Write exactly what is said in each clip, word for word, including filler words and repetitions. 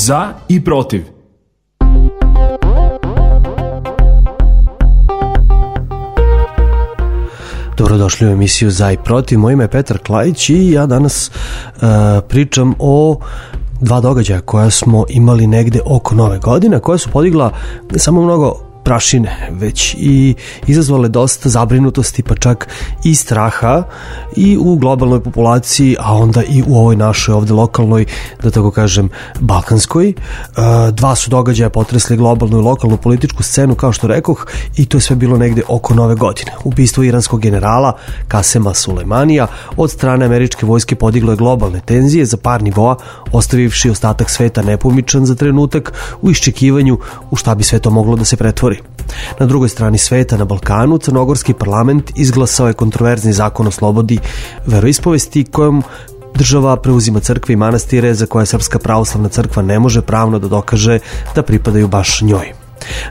Za i protiv. Dobrodošli u emisiju Za i protiv. Moje ime je Petar Klajić i ja danas uh, pričam o dva događaja koja smo imali negde oko nove godine, koja su podigla ne samo mnogo prašine, već i izazvale dosta zabrinutosti, pa čak i straha i u globalnoj populaciji, a onda i u ovoj našoj ovde lokalnoj, da tako kažem, balkanskoj. Dva su događaja potresli globalnu i lokalnu političku scenu, kao što rekoh, i to je sve bilo negde oko nove godine. Ubistvo iranskog generala Kasema Sulejmanija od strane američke vojske podiglo je globalne tenzije za par nivoa, ostavivši ostatak sveta nepomičan za trenutak u iščekivanju u šta bi sve to moglo da se pretvori. Na drugoj strani sveta, na Balkanu, crnogorski parlament izglasao je kontroverzni zakon o slobodi veroispovesti kojom država preuzima crkve i manastire za koje Srpska pravoslavna crkva ne može pravno da dokaže da pripadaju baš njoj.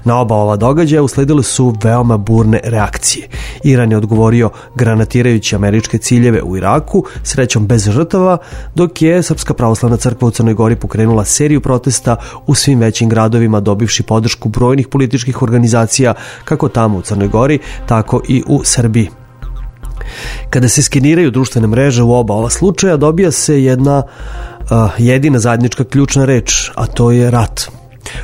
Na oba ova događaja usledile su veoma burne reakcije. Iran je odgovorio granatirajući američke ciljeve u Iraku, srećom bez žrtava, dok je Srpska pravoslavna crkva u Crnoj Gori pokrenula seriju protesta u svim većim gradovima, dobivši podršku brojnih političkih organizacija kako tamo u Crnoj Gori, tako i u Srbiji. Kada se skeniraju društvene mreže u oba ova slučaja, dobija se jedna uh, jedina zajednička ključna reč, a to je rat.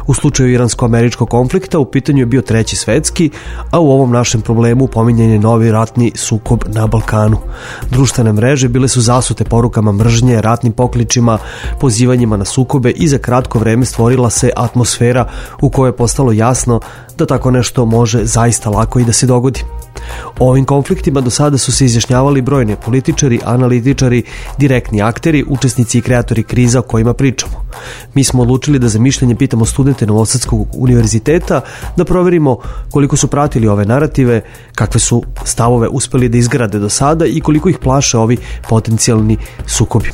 U slučaju iransko-američkog konflikta u pitanju je bio treći svetski, a u ovom našem problemu pominjan je novi ratni sukob na Balkanu. Društvene mreže bile su zasute porukama mržnje, ratnim pokličima, pozivanjima na sukobe i za kratko vreme stvorila se atmosfera u kojoj je postalo jasno da tako nešto može zaista lako i da se dogodi. O ovim konfliktima do sada su se izjašnjavali brojni političari, analitičari, direktni akteri, učesnici i kreatori kriza o kojima pričamo. Mi smo odlučili da za mišljenje pitamo studente Novosadskog univerziteta, da proverimo koliko su pratili ove narative, kakve su stavove uspeli da izgrade do sada i koliko ih plaše ovi potencijalni sukobi.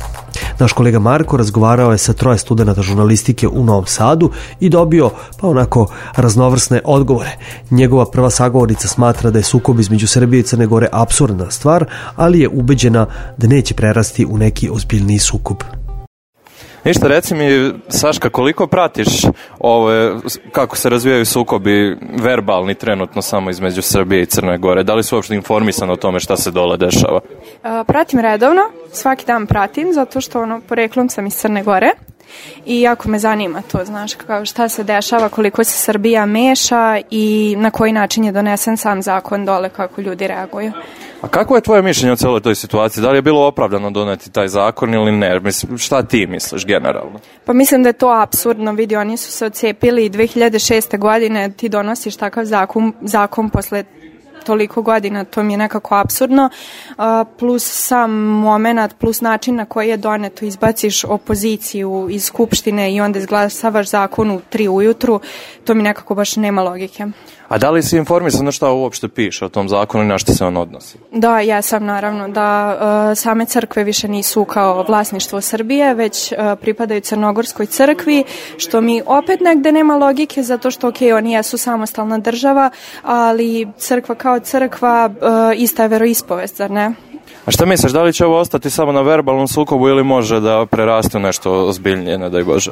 Naš kolega Marko razgovarao je sa troje studenata žurnalistike u Novom Sadu i dobio pa onako raznovrsne odgovore. Njegova prva sagovornica smatra da je sukob između Srbije i Crne Gore apsurdna stvar, ali je ubeđena da neće prerasti u neki ozbiljniji sukob. Ništa, reci mi, Saška, koliko pratiš ove, kako se razvijaju sukobi verbalni trenutno samo između Srbije i Crne Gore? Da li su uopšte informisani o tome šta se dole dešava? Pratim redovno, svaki dan pratim, zato što ono, poreklom sam iz Crne Gore i jako me zanima to, znaš, kao šta se dešava, koliko se Srbija meša i na koji način je donesen sam zakon dole, kako ljudi reaguju. A kako je tvoje mišljenje o celoj toj situaciji? Da li je bilo opravdano doneti taj zakon ili ne? Mislim, šta ti misliš generalno? Pa mislim da je to apsurdno. Vidi, oni su se odcepili i dve hiljade šeste. godine ti donosiš takav zakon, zakon posle toliko godina, to mi je nekako apsurdno, uh, plus sam moment, plus način na koji je doneto, izbaciš opoziciju iz skupštine i onda izglasavaš zakon u tri ujutru, to mi nekako baš nema logike. A da li si informisan na šta uopšte piše o tom zakonu i na šta se on odnosi? Da, ja sam naravno, da uh, same crkve više nisu kao vlasništvo Srbije, već uh, pripadaju Crnogorskoj crkvi, što mi opet negde nema logike, zato što ok, oni jesu samostalna država, ali crkva kao crkva uh, ista je veroispovest, zar ne? A šta misliš, da li će ovo ostati samo na verbalnom sukobu ili može da preraste nešto ozbiljnije, ne daj Bože?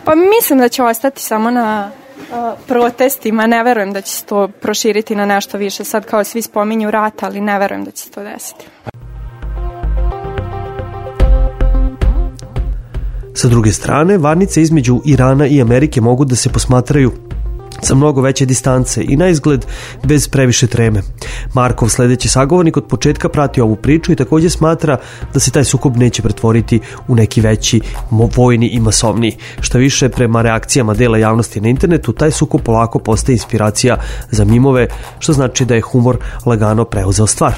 Pa mislim da će ostati samo na protestima, ne verujem da će se to proširiti na nešto više. Sad kao svi spominju rat, ali ne verujem da će se to desiti. Sa druge strane, varnice između Irana i Amerike mogu da se posmatraju sa mnogo veće distance i na izgled bez previše treme. Markov sledeći sagovornik od početka prati ovu priču i također smatra da se taj sukob neće pretvoriti u neki veći vojni i masovniji. Šta više, prema reakcijama dela javnosti na internetu, taj sukob polako postaje inspiracija za mimove, što znači da je humor lagano preuzeo stvar.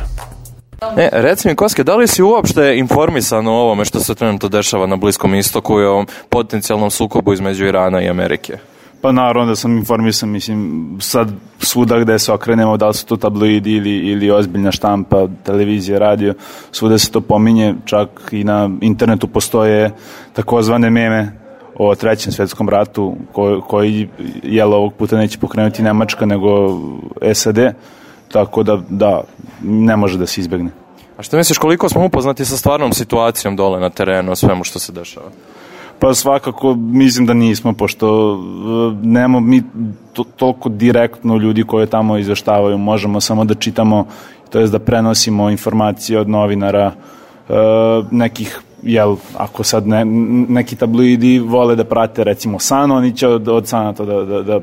E, reci mi, Koske, da li si uopšte informisan o ovome što se trenutno dešava na Bliskom istoku i o ovom potencijalnom sukobu između Irana i Amerike? Pa naravno da sam informisan, mislim, sad svuda gde se okrenemo, da li su to tabloidi ili, ili ozbiljna štampa, televizija, radio, svuda se to pominje, čak i na internetu postoje takozvane meme o trećem svetskom ratu, koji, koji jel, ovog puta neće pokrenuti Nemačka nego S A D, tako da, da, ne može da se izbegne. A što misliš, koliko smo upoznati sa stvarnom situacijom dole na terenu, o svemu što se dešava? Pa svakako mislim da nismo, pošto nemamo mi to, toliko direktno ljudi koje tamo izveštavaju, možemo samo da čitamo, to jest da prenosimo informacije od novinara, e, nekih, jel, ako sad ne, neki tabloidi vole da prate recimo San, oni će od, od Sana to da, da, da e,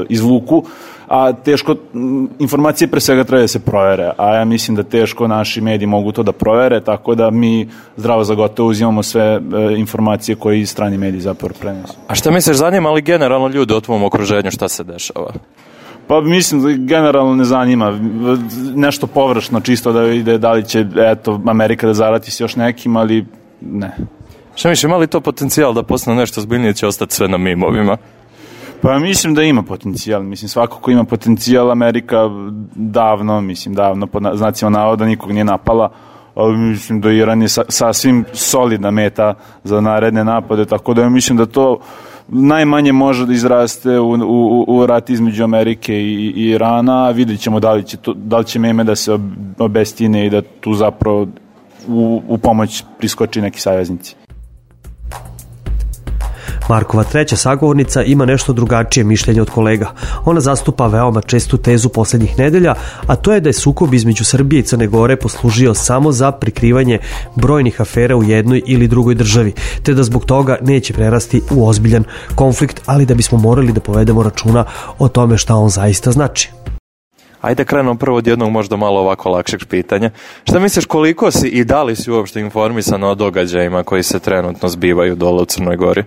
izvuku, a teško, informacije pre svega treba da se provere, a ja mislim da teško naši mediji mogu to da provere, tako da mi zdravo za gotovo uzimamo sve e, informacije koje i strani mediji zapravo prenesu. A šta misliš, zanima li generalno ljude u tvom okruženju šta se dešava? Pa mislim da generalno ne zanima, nešto površno čisto da vide da li će, eto, Amerika da zarati s još nekim, ali ne. Šta misliš, ima li to potencijal da postane nešto zbiljnije, će ostati sve na mimovima? Pa mislim da ima potencijal, mislim svako ko ima potencijal, Amerika davno, mislim davno, pod znacima navoda nikog nije napala, ali mislim da Iran je sa, sasvim solidna meta za naredne napade, tako da ja mislim da to najmanje može da izraste u, u, u rat između Amerike i, i Irana, a vidjet ćemo da li će, to, da li će meme da se obestine i da tu zapravo u, u pomoć priskoči neki saveznici. Markova treća sagovornica ima nešto drugačije mišljenje od kolega. Ona zastupa veoma čestu tezu poslednjih nedelja, a to je da je sukob između Srbije i Crne Gore poslužio samo za prikrivanje brojnih afera u jednoj ili drugoj državi, te da zbog toga neće prerasti u ozbiljan konflikt, ali da bismo morali da povedemo računa o tome šta on zaista znači. Ajde krenemo prvo od jednog možda malo ovako lakšeg pitanja. Šta misliš, koliko si i da li si uopšte informisan o događajima koji se trenutno zbivaju dole u Crnoj Gori?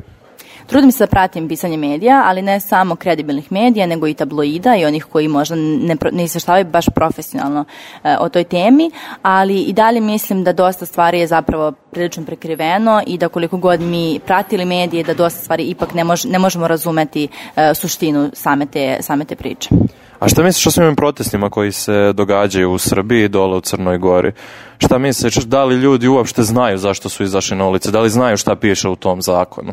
Trudim se da pratim pisanje medija, ali ne samo kredibilnih medija, nego i tabloida i onih koji možda ne, ne izveštavaju baš profesionalno e, o toj temi, ali i dalje mislim da dosta stvari je zapravo prilično prekriveno i da koliko god mi pratili medije, da dosta stvari ipak ne, mož, ne možemo razumeti e, suštinu same te, same te priče. A šta misliš o svim protestima koji se događaju u Srbiji i dole u Crnoj Gori? Šta misliš, da li ljudi uopšte znaju zašto su izašli na ulice? Da li znaju šta piše u tom zakonu?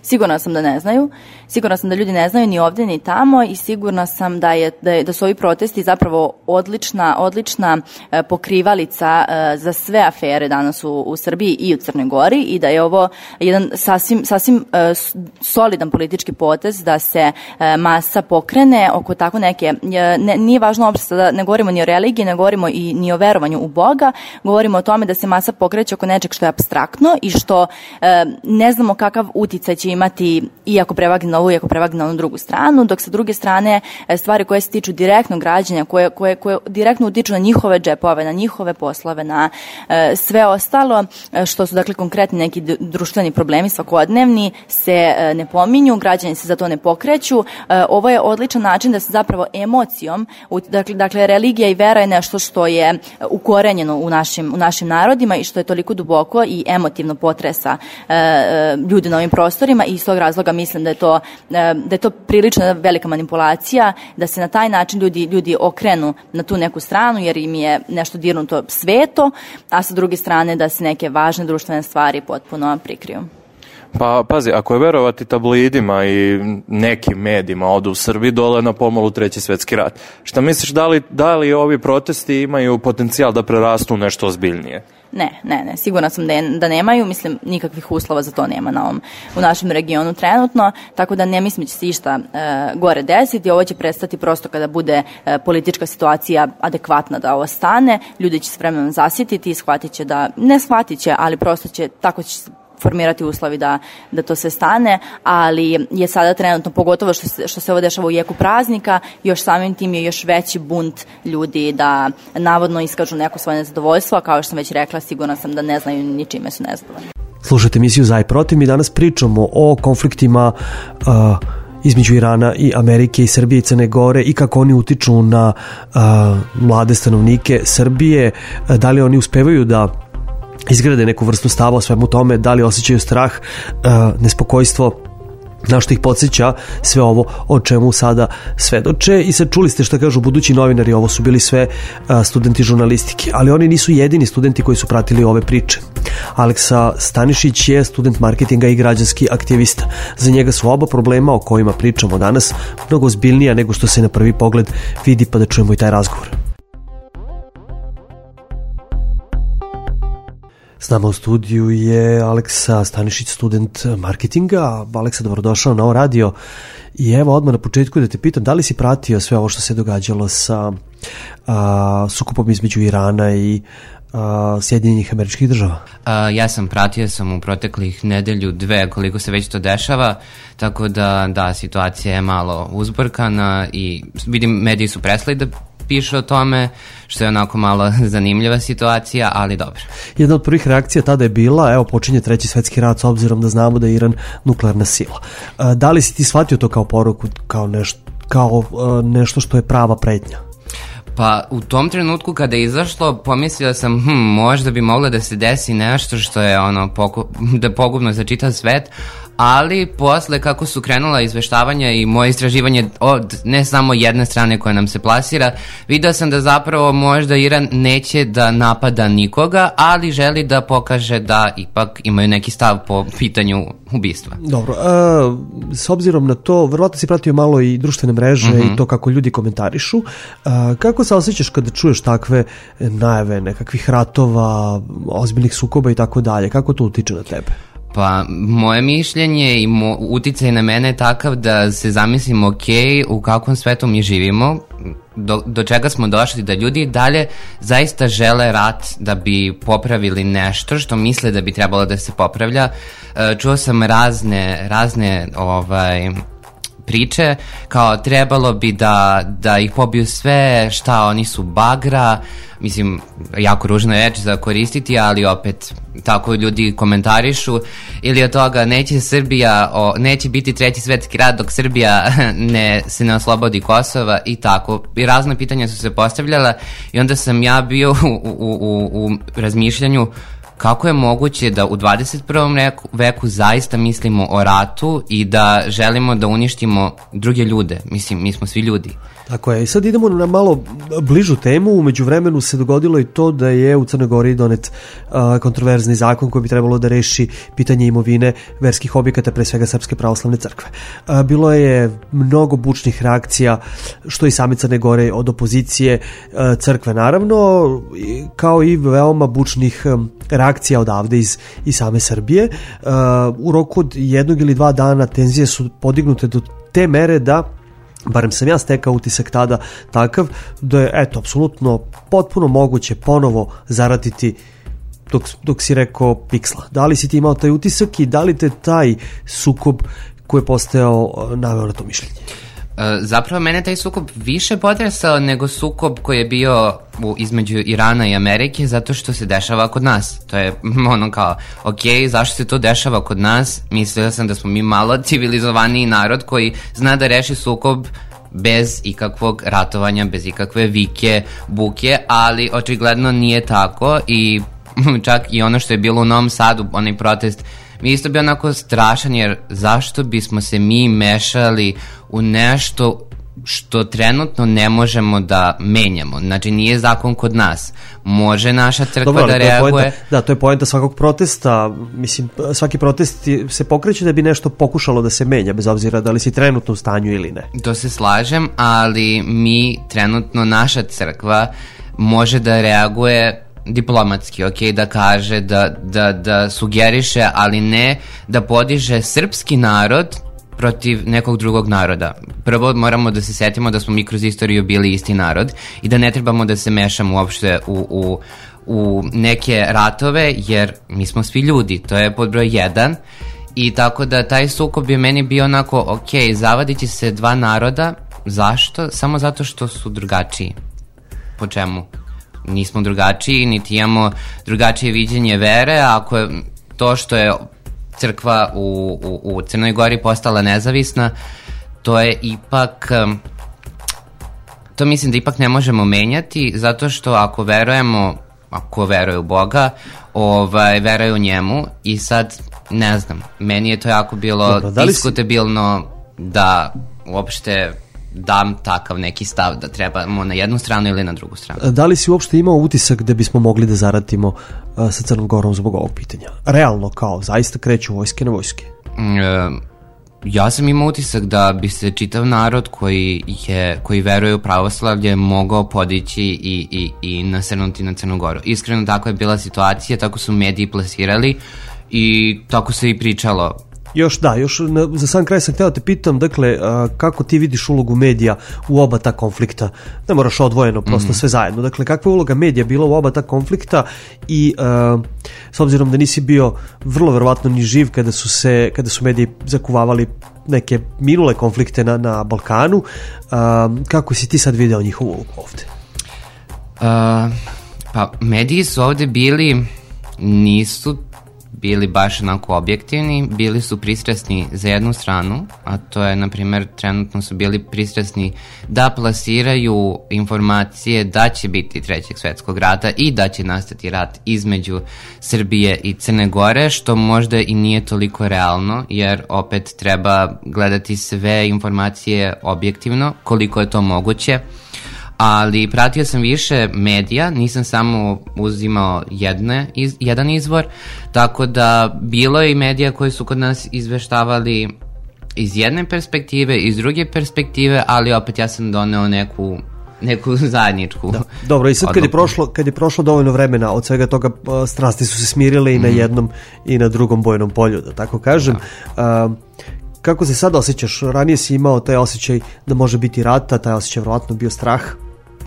Sigurna sam da ne znaju. Sigurna sam da ljudi ne znaju ni ovdje ni tamo i sigurna sam da je da, je, da su ovi protesti zapravo odlična odlična e, pokrivalica e, za sve afere danas u, u Srbiji i u Crnoj Gori i da je ovo jedan sasvim sasvim e, solidan politički potez da se e, masa pokrene oko tako neke e, ne, nije važno uopšte da ne govorimo ni o religiji, ne govorimo i ni o verovanju u Boga, govorimo o tome da se masa pokreće oko nečeg što je apstraktno i što e, ne znamo kakav uticaj će imati iako prevagne na ovu, iako prevagne na onu drugu stranu, dok sa druge strane stvari koje se tiču direktnog građanja, koje, koje, koje direktno utiču na njihove džepove, na njihove poslove, na e, sve ostalo, što su dakle konkretni neki društveni problemi svakodnevni, se e, ne pominju, građani se za to ne pokreću. E, ovo je odličan način da se zapravo emocijom, dakle, dakle religija i vera je nešto što je ukorenjeno u našim, u našim narodima i što je toliko duboko i emotivno potresa e, ljudi na ovim prostorima i iz tog razloga mislim da je to da je to prilično velika manipulacija, da se na taj način ljudi ljudi okrenu na tu neku stranu jer im je nešto dirnuto sveto, a sa druge strane da se neke važne društvene stvari potpuno prikriju. Pa pazi, ako je verovati tabloidima i nekim medijima ovdje u Srbiji, dole na pomolu treći svjetski rat. Šta misliš, da li, da li ovi protesti imaju potencijal da prerastu nešto ozbiljnije? Ne, ne, ne, sigurna sam da, je, da nemaju, mislim, nikakvih uslova za to nema na ovom, u našem regionu trenutno, tako da ne mislim da će se išta e, gore desiti, ovo će prestati prosto kada bude e, politička situacija adekvatna da ovo stane, ljudi će se vremenom zasjetiti i shvatit će da, ne shvatit će, ali prosto će, tako će se formirati uslovi da, da to sve stane, ali je sada trenutno, pogotovo što se, što se ovo dešava u jeku praznika, još samim tim je još veći bunt ljudi da navodno iskažu neko svoje nezadovoljstvo, a kao što sam već rekla, sigurna sam da ne znaju ni čime su nezadovoljni. Slušajte emisiju Za i protiv, mi danas pričamo o konfliktima uh, između Irana i Amerike i Srbije i Crne Gore i kako oni utiču na uh, mlade stanovnike Srbije, uh, da li oni uspevaju da izgrade neku vrstu stava o svemu tome, da li osjećaju strah, nespokojstvo, na što ih podsjeća sve ovo o čemu sada svedoče. I sad čuli ste šta kažu budući novinari, ovo su bili sve studenti žurnalistike, ali oni nisu jedini studenti koji su pratili ove priče. Aleksa Stanišić je student marketinga i građanski aktivista. Za njega su oba problema o kojima pričamo danas mnogo ozbiljnija nego što se na prvi pogled vidi, pa da čujemo i taj razgovor. S nama u studiju je Aleksa Stanišić, student marketinga. Aleksa, dobrodošao na ovo radio. I evo odmah na početku da te pitam, da li si pratio sve ovo što se događalo sa a, sukobom između Irana i a, Sjedinjenih Američkih Država? A, ja sam pratio sam u proteklih nedelju, dve, koliko se već to dešava, tako da, da, situacija je malo uzburkana i vidim, mediji su prestali da piše o tome, što je onako malo zanimljiva situacija, ali dobro. Jedna od prvih reakcija tada je bila, evo počinje treći svetski rat s obzirom da znamo da je Iran nuklearna sila. Da li si ti shvatio to kao poruku, kao nešto, kao nešto što je prava pretnja? Pa u tom trenutku kada je izašlo, pomislio sam, hm, možda bi moglo da se desi nešto što je ono poku, da pogubno za čitav svet, ali posle kako su krenula izveštavanja i moje istraživanje od ne samo jedne strane koja nam se plasira, vidio sam da zapravo možda Iran neće da napada nikoga, ali želi da pokaže da ipak imaju neki stav po pitanju ubistva. Dobro, a, s obzirom na to, verovatno si pratio malo i društvene mreže mm-hmm. i to kako ljudi komentarišu. A, kako se osjećaš kada čuješ takve najave nekakvih ratova, ozbiljnih sukoba i tako dalje? Kako to utiče na tebe? Pa, moje mišljenje i mo, uticaj na mene je takav da se zamislim, ok, u kakvom svetu mi živimo, do, do čega smo došli, da ljudi dalje zaista žele rat da bi popravili nešto što misle da bi trebalo da se popravlja. Čuo sam razne, razne, ovaj... priče, kao trebalo bi da, da ih pobiju sve, šta oni su bagra, mislim, jako ružna reč za koristiti, ali opet tako ljudi komentarišu, ili od toga neće Srbija, o, neće biti treći svetski rat dok Srbija ne, se ne oslobodi Kosova i tako. I razne pitanja su se postavljala i onda sam ja bio u, u, u, u razmišljanju kako je moguće da u dvadeset prvom veku zaista mislimo o ratu i da želimo da uništimo druge ljude. Mislim, mi smo svi ljudi. Tako je. I sad idemo na malo bližu temu. U međuvremenu se dogodilo i to da je u Crnoj Gori donet uh, kontroverzni zakon koji bi trebalo da reši pitanje imovine verskih objekata, pre svega Srpske pravoslavne crkve. Uh, bilo je mnogo bučnih reakcija, što i same Crne Gore od opozicije uh, crkve, naravno, kao i veoma bučnih um, reakcija odavde iz, iz same Srbije. Uh, u roku od jednog ili dva dana tenzije su podignute do te mere da, barem sam ja stekao utisak tada takav, da je, eto, apsolutno potpuno moguće ponovo zaratiti dok, dok si rekao piksla. Da li si ti imao taj utisak i da li te taj sukob koji je postojao naveo na to mišljenje? Zapravo mene taj sukob više potresao nego sukob koji je bio u, između Irana i Amerike, zato što se dešava kod nas. To je ono kao, ok, zašto se to dešava kod nas? Mislila sam da smo mi malo civilizovaniji narod koji zna da reši sukob bez ikakvog ratovanja, bez ikakve vike, buke, ali očigledno nije tako i čak i ono što je bilo u Novom Sadu, onaj protest, mi isto bio onako strašan, jer zašto bismo se mi mešali u nešto što trenutno ne možemo da menjamo. Znači, nije zakon kod nas. Može naša crkva Dobro, da reaguje. Poenta, da, to je poenta svakog protesta. Mislim, svaki protest se pokreće da bi nešto pokušalo da se menja, bez obzira da li si trenutno u stanju ili ne. To se slažem, ali mi trenutno, naša crkva može da reaguje diplomatski, ok, da kaže, da, da, da sugeriše, ali ne da podiže srpski narod protiv nekog drugog naroda. Prvo moramo da se setimo da smo mi kroz istoriju bili isti narod i da ne trebamo da se mešamo uopšte u, u, u neke ratove, jer mi smo svi ljudi, to je pod broj jedan. I tako da taj sukob je meni bio onako, ok, zavadit će se dva naroda, zašto? Samo zato što su drugačiji. Po čemu? Nismo drugačiji, niti imamo drugačije viđenje vere, ako je to što je crkva u, u, u Crnoj Gori postala nezavisna, to je ipak, to mislim da ipak ne možemo menjati, zato što ako verujemo, ako veruje u Boga, ovaj, veruje u njemu i sad, ne znam, meni je to jako bilo Dobro, da diskutabilno si... da uopšte dam takav neki stav da trebamo na jednu stranu ili na drugu stranu. Da li si uopšte imao utisak da bismo mogli da zaratimo uh, sa Crnom Gorom zbog ovog pitanja? Realno, kao, zaista kreću vojske na vojske? Mm, ja sam imao utisak da bi se čitav narod koji, je, koji veruje u pravoslavlje mogao podići i, i, i nasrnuti na Crnu Goru. Iskreno, tako je bila situacija, tako su mediji plasirali i tako se i pričalo. Još da, još na, za sam kraj sam hteo te pitam, dakle, a, kako ti vidiš ulogu medija u oba ta konflikta? Ne moraš odvojeno, prosto mm-hmm. sve zajedno. Dakle, kakva je uloga medija bila u oba ta konflikta i a, s obzirom da nisi bio vrlo verovatno ni živ kada su se, kada su mediji zakuvavali neke minule konflikte na, na Balkanu, a, kako si ti sad video njihovu ulogu ovde? Uh, pa, mediji su ovde bili, nisu bili baš onako objektivni, bili su pristrasni za jednu stranu, a to je, na primjer, trenutno su bili pristrasni da plasiraju informacije da će biti trećeg svetskog rata i da će nastati rat između Srbije i Crne Gore, što možda i nije toliko realno, jer opet treba gledati sve informacije objektivno, koliko je to moguće. Ali pratio sam više medija, nisam samo uzimao jedne, iz, jedan izvor, tako da bilo je i medija koji su kod nas izveštavali iz jedne perspektive, iz druge perspektive, ali opet ja sam doneo neku, neku zajedničku. Da. Dobro, i sad kad je, prošlo, kad je prošlo dovoljno vremena, od svega toga strasti su se smirile i mm. na jednom i na drugom bojnom polju, da tako kažem. Da. Uh, kako se sad osjećaš? Ranije si imao taj osjećaj da može biti rata, taj osjećaj vjerovatno bio strah.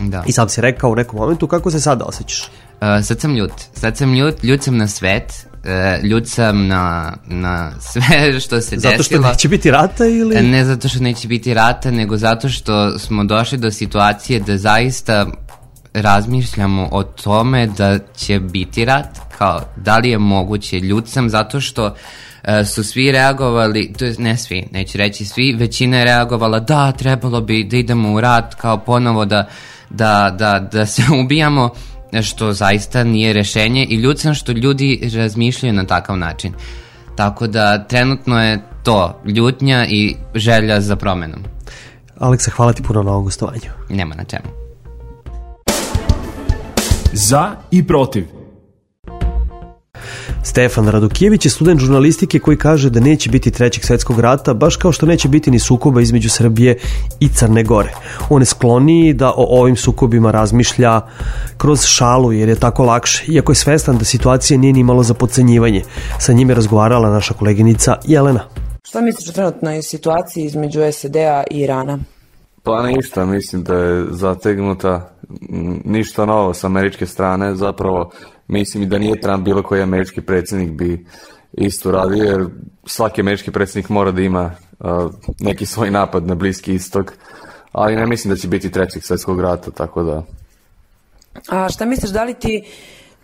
Da. I sam si rekao u nekom momentu, kako se sada osjećaš? Uh, sad sam ljut. Sad sam ljut, ljut sam na svet, uh, ljut sam na, na sve što se zato desilo. Zato što neće biti rata ili? Ne zato što neće biti rata, nego zato što smo došli do situacije da zaista razmišljamo o tome da će biti rat, kao da li je moguće. Ljut sam zato što uh, su svi reagovali, to je ne svi, neću reći svi, većina je reagovala da trebalo bi da idemo u rat, kao ponovo da Da, da, da se ubijamo, što zaista nije rešenje, i ljut sam što ljudi razmišljaju na takav način. Tako da trenutno je to ljutnja i želja za promenom. Aleksa, hvala ti puno na ovom gostovanju. Nema na čemu. Za i protiv. Stefan Radokijević je student žurnalistike koji kaže da neće biti trećeg svetskog rata, baš kao što neće biti ni sukoba između Srbije i Crne Gore. On je skloniji da o ovim sukobima razmišlja kroz šalu, jer je tako lakše, iako je svestan da situacija nije ni malo za podcenjivanje. Sa njim je razgovarala naša koleginica Jelena. Šta misliš o trenutnoj situaciji između S A D-a i Irana? Pa ništa, mislim da je zategnuta, ništa novo s američke strane, zapravo mislim i da nije Trump bilo koji američki predsjednik bi isto radio, jer svaki američki predsjednik mora da ima uh, neki svoj napad na Bliski istok, ali ne mislim da će biti trećeg svjetskog rata, tako da... A šta misliš, da li ti,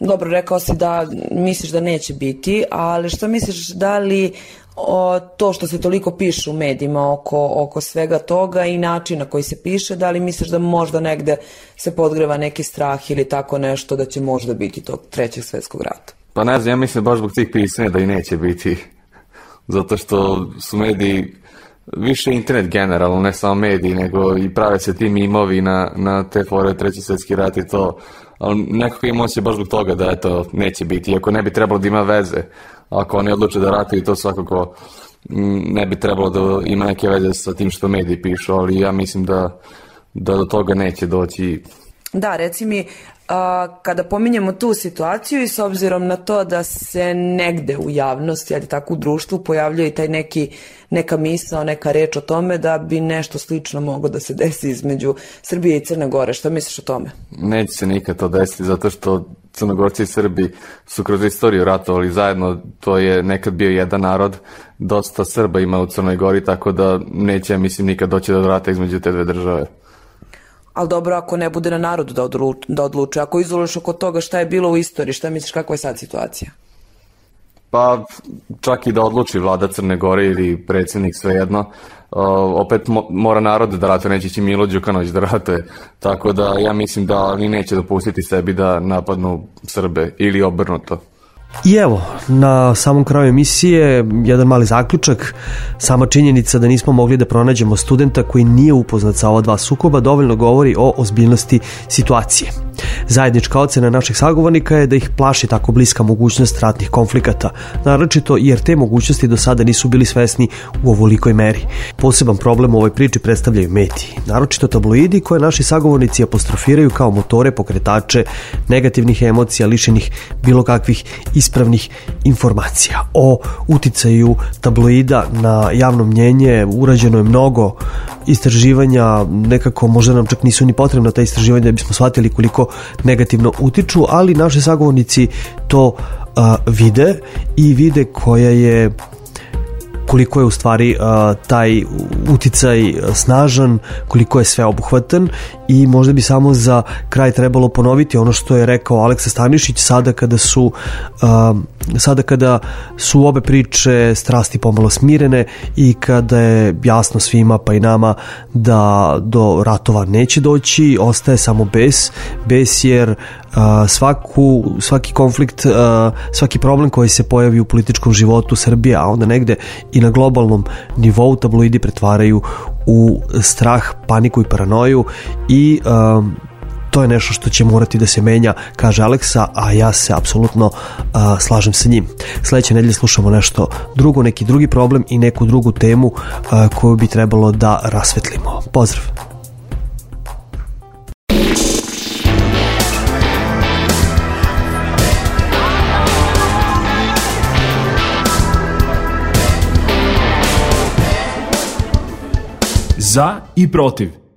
dobro, rekao si da misliš da neće biti, ali šta misliš, da li o, to što se toliko piše u medijima oko, oko svega toga i načina koji se piše, da li misliš da možda negde se podgreva neki strah ili tako nešto da će možda biti tog trećeg svjetskog rata? Pa ne znam, ja mislim baš zbog tih pisanja da i neće biti, zato što su mediji, više internet generalno, ne samo mediji, nego i prave se ti mimovi na, na te fore treći svjetski rat i to, ali nekako ima osjećaj baš zbog toga da eto, neće biti, iako ne bi trebalo da ima veze. Ako oni odluče da ratuju, to svakako ne bi trebalo da ima neke veze sa tim što mediji pišu, ali ja mislim da, da do toga neće doći. Da, reci mi, a, kada pominjemo tu situaciju i s obzirom na to da se negde u javnosti, ali tako u društvu, pojavljuje i taj neki, neka misao, neka reč o tome da bi nešto slično moglo da se desi između Srbije i Crne Gore. Šta misliš o tome? Neće se nikad to desiti, zato što Crnogorci i Srbi su kroz istoriju ratovali zajedno, to je nekad bio jedan narod, dosta Srba ima u Crnoj Gori, tako da neće, mislim, nikad doći do rata između te dve države. Ali dobro, ako ne bude na narodu da, odluč, da odluče, ako izoliš oko toga šta je bilo u istoriji, šta misliš, kakva je sad situacija? Pa čak i da odluči vlada Crne Gore ili predsjednik, svejedno, uh, opet mo- mora narod da ratuje, neće će Milo Đukanović da ratuje, tako da ja mislim da oni neće dopustiti sebi da napadnu Srbe ili obrnuto. I evo, na samom kraju emisije jedan mali zaključak. Sama činjenica da nismo mogli da pronađemo studenta koji nije upoznat sa ova dva sukoba dovoljno govori o ozbiljnosti situacije. Zajednička ocena naših sagovornika je da ih plaši tako bliska mogućnost ratnih konflikata, naročito jer te mogućnosti do sada nisu bili svesni u ovolikoj meri. Poseban problem u ovoj priči predstavljaju mediji, naročito tabloidi koje naši sagovornici apostrofiraju kao motore, pokretače negativnih emocija, lišenih bilo kakvih ispravnih informacija. O uticaju tabloida na javno mnjenje urađeno je mnogo istraživanja, nekako možda nam čak nisu ni potrebna ta istraživanja da bismo shvatili koliko negativno utiču, ali naši sagovornici to uh, vide i vide koja je koliko je u stvari uh, taj uticaj snažan, koliko je sveobuhvatan i možda bi samo za kraj trebalo ponoviti ono što je rekao Aleksa Stanišić sada kada su uh, sada kada su obe priče strasti pomalo smirene i kada je jasno svima pa i nama da do ratova neće doći, ostaje samo bes, bes jer uh, svaku, svaki konflikt, uh, svaki problem koji se pojavi u političkom životu Srbije, a onda negde i na globalnom nivou tabloidi pretvaraju u strah, paniku i paranoju i um, to je nešto što će morati da se menja, kaže Aleksa, a ja se apsolutno uh, slažem sa njim. Sledeće nedelje slušamo nešto drugo, neki drugi problem i neku drugu temu uh, koju bi trebalo da rasvetlimo. Pozdrav! Za i protiv.